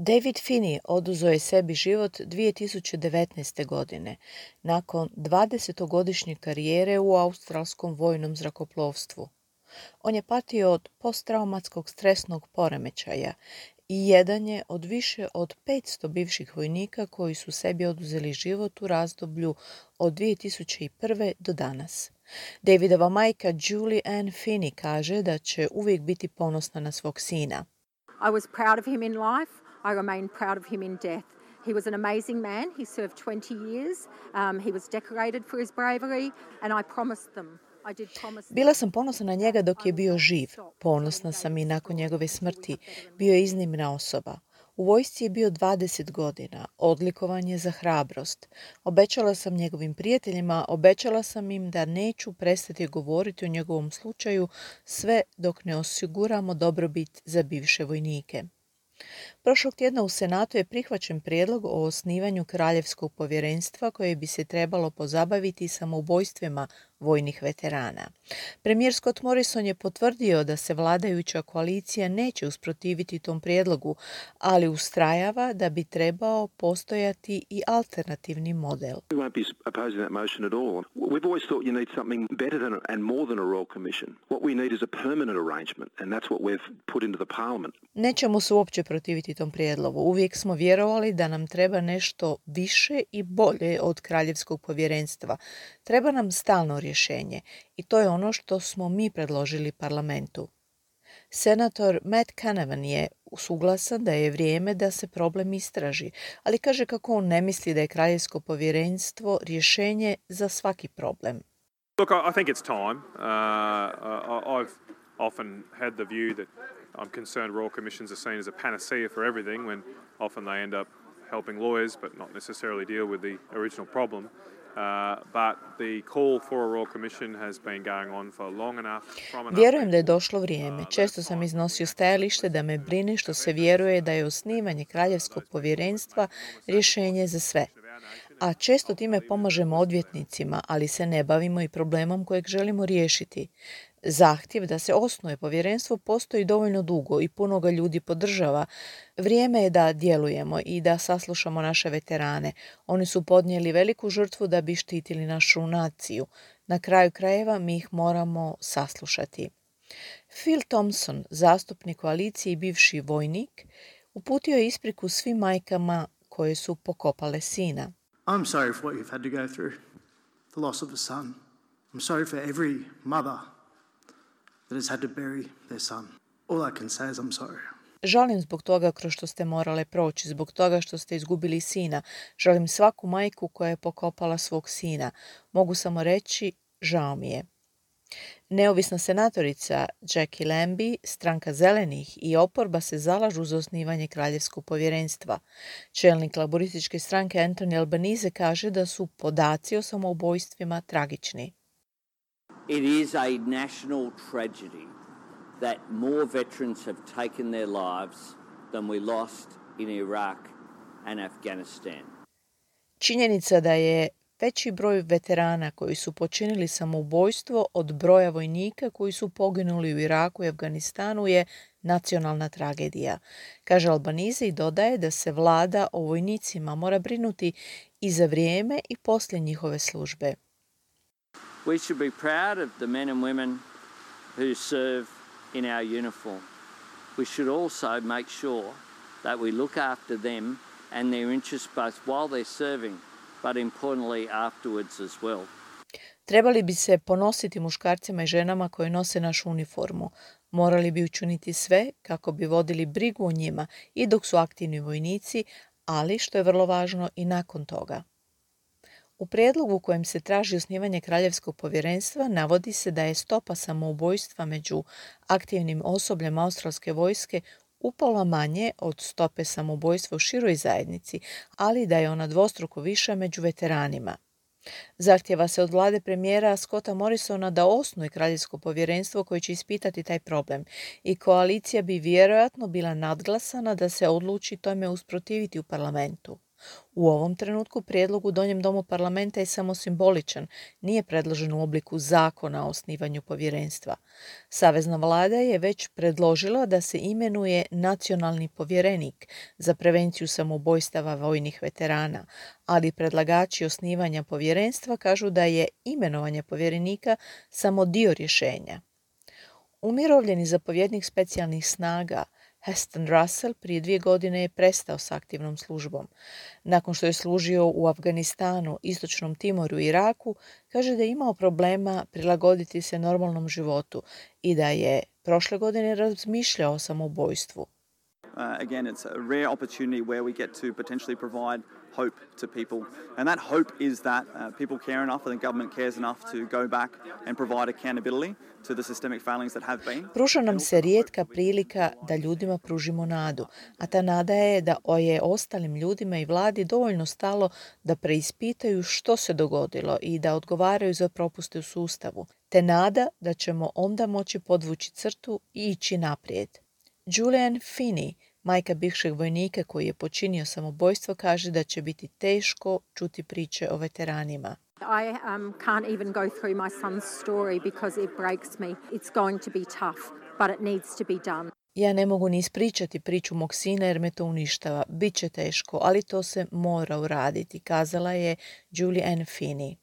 David Finney oduzeo je sebi život 2019. godine, nakon 20-godišnje karijere u australskom vojnom zrakoplovstvu. On je patio od posttraumatskog stresnog poremećaja i jedan je od više od 500 bivših vojnika koji su sebi oduzeli život u razdoblju od 2001. do danas. Davidova majka Julie Ann Finney kaže da će uvijek biti ponosna na svog sina. I was proud of him in life. I remain proud of him in death. He was an amazing man. He served 20 years. He was decorated for his bravery and I promised them. Bila sam ponosna na njega dok je bio živ. Ponosna sam i nakon njegove smrti. Bio je iznimna osoba. U vojsci je bio 20 godina. Odlikovan je za hrabrost. Obećala sam njegovim prijateljima, obećala sam im da neću prestati govoriti o njegovom slučaju sve dok ne osiguramo dobrobit za bivše vojnike. Prošlog tjedna u Senatu je prihvaćen prijedlog o osnivanju kraljevskog povjerenstva koje bi se trebalo pozabaviti samoubojstvima vojnih veterana. Premijer Scott Morrison je potvrdio da se vladajuća koalicija neće usprotiviti tom prijedlogu, ali ustrajava da bi trebao postojati i alternativni model. We won't be opposing that motion at all. We've always thought you need something better than and more than a royal commission. What we need is a permanent arrangement and that's what we've put into the parliament. Nećemo se uopće protiviti tom prijedlogu. Uvijek smo vjerovali da nam treba nešto više i bolje od kraljevskog povjerenstva. Treba nam stalno rješenje i to je ono što smo mi predložili parlamentu. Senator Matt Canavan je suglasan da je vrijeme da se problem istraži, ali kaže kako on ne misli da je kraljevsko povjerenstvo rješenje za svaki problem. Look, I think it's time. I've often had the view that I'm concerned royal commissions are seen as a panacea for everything when often they end up helping lawyers but not necessarily deal with the original problem. But the call for a royal commission has been going on for long enough. Vjerujem da je došlo vrijeme. Često sam iznosio stajalište da me brine što se vjeruje da je osnivanje kraljevskog povjerenstva rješenje za sve. A često time pomažemo odvjetnicima, ali se ne bavimo i problemom kojeg želimo riješiti. Zahtjev da se osnuje povjerenstvo postoji dovoljno dugo i puno ga ljudi podržava. Vrijeme je da djelujemo i da saslušamo naše veterane. Oni su podnijeli veliku žrtvu da bi štitili našu naciju. Na kraju krajeva mi ih moramo saslušati. Phil Thompson, zastupnik koalicije i bivši vojnik, uputio je ispriku svim majkama koje su pokopale sina. I'm sorry for what you've had to go through, the loss of a son. I'm sorry for every mother that has had to bury their son. All I can say is I'm sorry. Žalim zbog toga kroz što ste morale proći, zbog toga što ste izgubili sina. Žalim svaku majku koja je pokopala svog sina. Mogu samo reći, žao mi je. Neovisna senatorica Jackie Lambie, stranka zelenih i oporba se zalažu za osnivanje kraljevskog povjerenstva. Čelnik laborističke stranke Anthony Albanese kaže da su podaci o samoubojstvima tragični. It is a national tragedy that more veterans have taken their lives than we lost in Iraq and Afghanistan. Činjenica da je veći broj veterana koji su počinili samoubojstvo od broja vojnika koji su poginuli u Iraku i Afganistanu je nacionalna tragedija, kaže Albanese i dodaje da se vlada o vojnicima mora brinuti i za vrijeme i poslije njihove službe. We should be proud of the men and women who serve in our uniform. We should also make sure that we look after them and their interests both while they're serving, but importantly afterwards as well. Trebali bi se ponositi muškarcima i ženama koji nose našu uniformu. Morali bi učiniti sve kako bi vodili brigu o njima i dok su aktivni vojnici, ali što je vrlo važno i nakon toga. U prijedlogu u kojem se traži osnivanje kraljevskog povjerenstva navodi se da je stopa samoubojstva među aktivnim osobljem australske vojske upola manje od stope samoubojstva u široj zajednici, ali da je ona dvostruko viša među veteranima. Zahtjeva se od vlade premijera Scotta Morrisona da osnuje kraljevsko povjerenstvo koje će ispitati taj problem i koalicija bi vjerojatno bila nadglasana da se odluči tome usprotiviti u parlamentu. U ovom trenutku prijedlog u Donjem domu parlamenta je samo simboličan, nije predložen u obliku zakona o osnivanju povjerenstva. Savezna vlada je već predložila da se imenuje nacionalni povjerenik za prevenciju samoubojstava vojnih veterana, ali predlagači osnivanja povjerenstva kažu da je imenovanje povjerenika samo dio rješenja. Umirovljeni zapovjednik specijalnih snaga Heston Russell prije 2 godine je prestao s aktivnom službom. Nakon što je služio u Afganistanu, Istočnom Timoru i Iraku, kaže da je imao problema prilagoditi se normalnom životu i da je prošle godine razmišljao o samoubojstvu. Again, it's a rare opportunity where we get to potentially provide hope to people. And that hope is that people care enough and the government cares enough to go back and provide accountability to the systemic failings that have been. Pruža nam se rijetka prilika da ljudima pružimo nadu, a ta nada je da je ostalim ljudima i vladi dovoljno stalo da preispitaju što se dogodilo i da odgovaraju za propuste u sustavu, te nada da ćemo onda moći podvući crtu i ići naprijed. Julianne Finney, majka bivšeg vojnika koji je počinio samoubojstvo, kaže da će biti teško čuti priče o veteranima. I can't even go through my son's story because it breaks me. It's going to be tough, but it needs to be done. Ja ne mogu ni ispričati priču mog sina jer me to uništava. Biće teško, ali to se mora uraditi, kazala je Julianne Finney.